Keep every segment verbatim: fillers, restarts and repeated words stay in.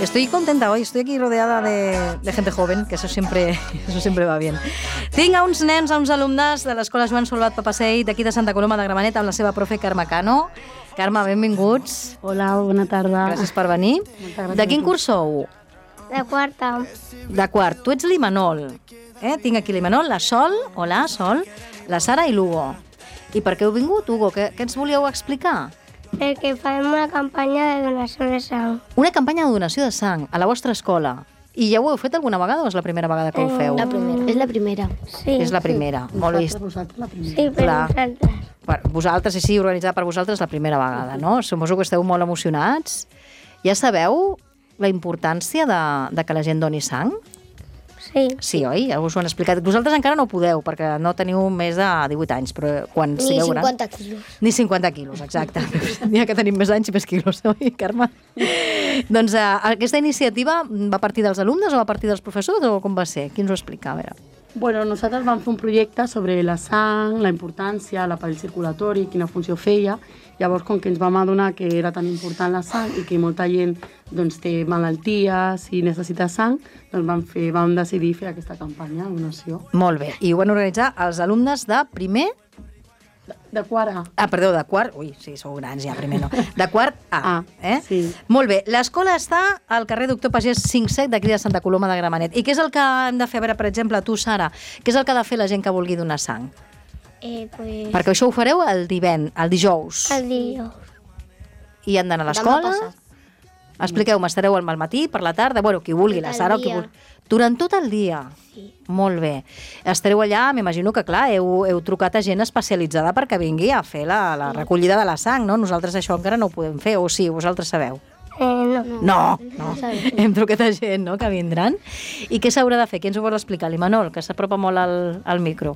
Estoy contenta hoy, estoy aquí rodeada de, de gente joven, que eso siempre, eso siempre va bien. Tinc a uns nens, a uns alumnes de l'Escola Joan Salvat Papasseit d'aquí de Santa Coloma de Gramenet amb la seva profe Carme Cano. Carme, benvinguts. Hola, bona tarda. Gràcies per venir. De quin curs sou? De quarta. De quart. Tu ets l'Imanol. Eh? Tinc aquí l'Imanol, la Sol, hola, Sol, la Sara i l'Hugo. I per què heu vingut, Hugo? Què, què ens volíeu explicar? Perquè farem una campanya de donació de sang. Una campanya de donació de sang a la vostra escola. I ja ho heu fet alguna vegada o és la primera vegada que ho feu? La primera. És la primera. Sí. És la primera. Sí. Molt vist. Vosaltres la primera. Sí, per Clar. nosaltres. Per vosaltres, sí, sí, organitzada per vosaltres la primera vegada, no? Suposo que esteu molt emocionats. Ja sabeu la importància de, de que la gent doni sang? Sí. Sí, oi? Ja us ho han explicat. Vosaltres encara no podeu, perquè no teniu més de divuit anys, però quan Ni sigueu grans... cinquanta quilos. Ni cinquanta quilos, exacte. N'hi ha que tenim més anys i més quilos, oi, Carme? Doncs eh, aquesta iniciativa va partir dels alumnes o va partir dels professors o com va ser? Qui ens ho explica? A veure. Bueno, nosaltres vam fer un projecte sobre la sang, la importància, l'aparell circulatori, quina funció feia. Llavors, com que ens vam adonar que era tan important la sang i que molta gent doncs, té malalties i necessita sang, doncs vam, fer, vam decidir fer aquesta campanya de donació. Molt bé. I ho van organitzar els alumnes de primer... De, de quart A. Ah, perdó, de quart... Ui, sí, sou grans ja, primer no. De quart A. A, eh? sí. Molt bé. L'escola està al carrer Doctor Pagès cinc set d'aquí de Santa Coloma de Gramenet. I què és el que hem de fer? A veure, per exemple, tu, Sara, què és el que ha de fer la gent que vulgui donar sang? Eh, pues... Perquè això ho fareu el divendres, el dijous. El dijous. I han d'anar a l'escola? Expliqueu-me, estareu al matí, per la tarda? Bueno, qui vulgui, la Sara o qui vulgui. Durant tot el dia? Sí. Molt bé. Estareu allà, m'imagino que, clar, heu, heu trucat a gent especialitzada perquè vingui a fer la, la recollida de la sang, no? Nosaltres això encara no ho podem fer, o sí, vosaltres sabeu? Eh, no. No, no. Hem trucat a gent, no?, que vindran. I què s'haurà de fer? Qui ens ho vol explicar? L'Imanol, que s'apropa molt al, al micro.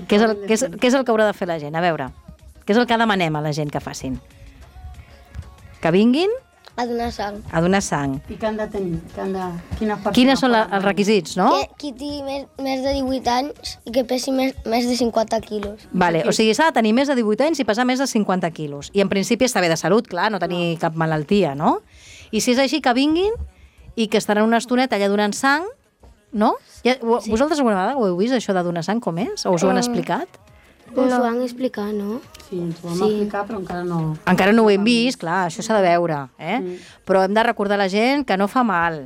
Què és, el, què, és, què és el que haurà de fer la gent? A veure, què és el que demanem a la gent que facin? Que vinguin A donar sang. a donar sang. I què han de tenir? Que han de... Quines, Quines són la, els requisits, no? Que, qui tingui més, més de divuit anys i que pesi més, més de cinquanta quilos. Vale, o sigui, s'ha de tenir més de divuit anys i pesar més de cinquanta quilos. I en principi està bé de salut, clar, no tenir cap malaltia, no? I si és així, que vinguin i que estaran una estoneta allà donant sang, no? Ja, sí. Vosaltres alguna vegada ho heu vist, això de donar sang, com és? O us ho han explicat? Us ho van explicar, no? Sí, ens ho vam sí. explicar, però encara no... Encara no ho hem vist, clar, això s'ha de veure, eh? Mm. Però hem de recordar a la gent que no fa mal,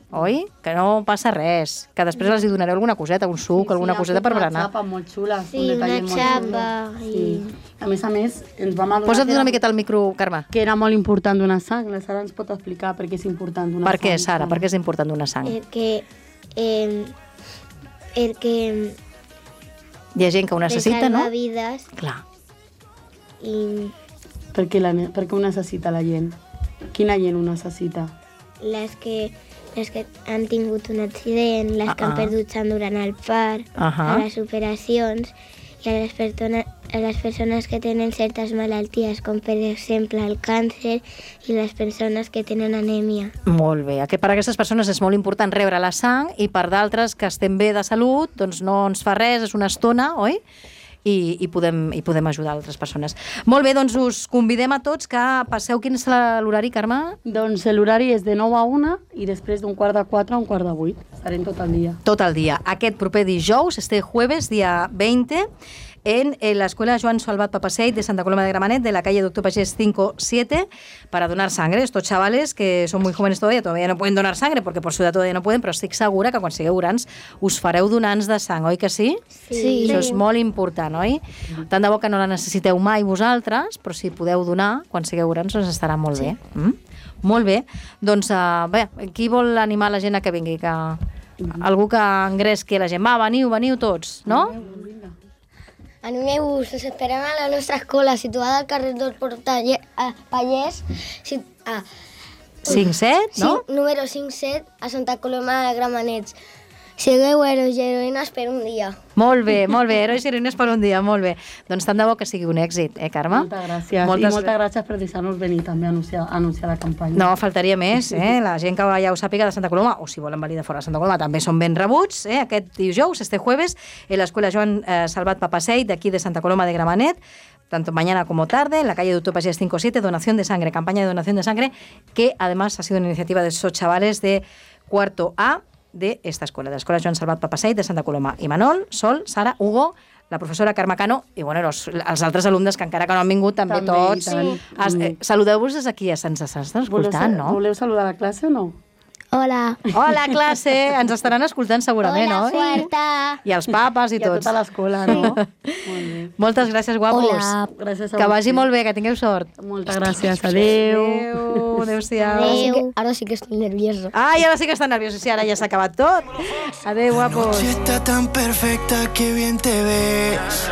oi? Que no passa res, que després els hi donareu alguna coseta, un suc, sí, sí, alguna coseta per berenar. Una xapa molt xula. Sí, un una molt xapa. xulo. Sí. A més a més, ens vam adonar Posa't que una era, miqueta al micro, Carme. que era molt important donar sang. La Sara ens pot explicar per què és important donar Per sang. què, Sara? Per què és important donar sang? Perquè... Eh, perquè... Hi ha gent que ho necessita, no? salva vides Clar. i Per què, la, per què ho necessita la gent? Quina gent ho necessita? les que, les que han tingut un accident, les que Ah, han ah. perdut sang durant el part, Ahà. a les operacions i a les, persones, a les persones que tenen certes malalties, com per exemple el càncer i les persones que tenen anèmia. Molt bé. Aquest, per a aquestes persones és molt important rebre la sang i per d'altres que estem bé de salut, doncs no ens fa res, és una estona, oi? I, i, podem, i podem ajudar altres persones. Molt bé, doncs us convidem a tots que passeu. Quin és la- l'horari, Carme? Doncs l'horari és de nou a una i després d'un quart de quatre a un quart de vuit. Estarem tot el dia. Tot el dia. Aquest proper dijous, este jueves, día veinte, en, en la Escuela Joan Salvat Papasseit de Santa Coloma de Gramenet, de la calle Doctor Pagès cinco siete, para donar sangre. Estos chavales que son muy jóvenes todavía, todavía no pueden donar sangre, porque por su edad todavía no pueden, però estic segura que quan sigueu grans us fareu donants de sang, oi que sí? Sí. Això és molt important, oi? Tant de bo que no la necessiteu mai vosaltres, però si podeu donar, quan sigueu grans, doncs estarà molt bé. Mm? Molt bé. Doncs, uh, bé, qui vol animar la gent a que vingui? Que... Algú que engresqui la gent. Va, veniu, veniu tots, no? Animeu-vos, us esperem a la nostra escola, situada al carrer del Pallès, si, ah, cinc set, no? sí, número cinc set, a Santa Coloma de Gramenet. Sigueu herois i heroïnes per un dia. Molt bé, molt bé. Herois i heroïnes per un dia, molt bé. Doncs tant de bo que sigui un èxit, eh, Carme? Moltes gràcies. Moltes... I moltes gràcies per deixar-nos venir també a anunciar, a anunciar la campanya. No, faltaria més, eh? La gent que ja ho sàpiga de Santa Coloma, o si volen venir de fora de Santa Coloma, també són ben rebuts, eh? Aquest dijous, este jueves, en l'Escola Joan eh, Salvat Papasseit, d'aquí de Santa Coloma de Gramenet, tanto mañana como tarde, en la calle Doctor Pagés cinco siete, donación de sangre, campaña de donación de sangre, que además ha sido una iniciativa de esos chavales de cuarto A de esta escuela, de la Escuela Joan Salvat Papasseit de Santa Coloma. I Manol, Sol, Sara, Hugo, la professora Carme Cano i bueno, els, els altres alumnes que encara que no han vingut, també, També, tots. i tant. Es, eh, saludeu-vos des d'aquí, se'ns estan escoltant, no? Voleu saludar la classe o no? Hola. Hola, classe! Ens estaran escoltant segurament, Hola, no? Fuerta. I els papes i, I a tots. tota l'escola, no? Molt bé. Moltes gràcies, guapos. Hola. Gràcies a Que vagi vosaltres. molt bé, que tingueu sort. Moltes gràcies. Adéu. Adéu, adéu-siau. Ahora sí que, ahora sí que estoy nervioso. Ai, ara sí que estan nerviosos, sí, ara ja s'ha acabat tot. Adéu, guapos. Está tan perfecta que bien te ves.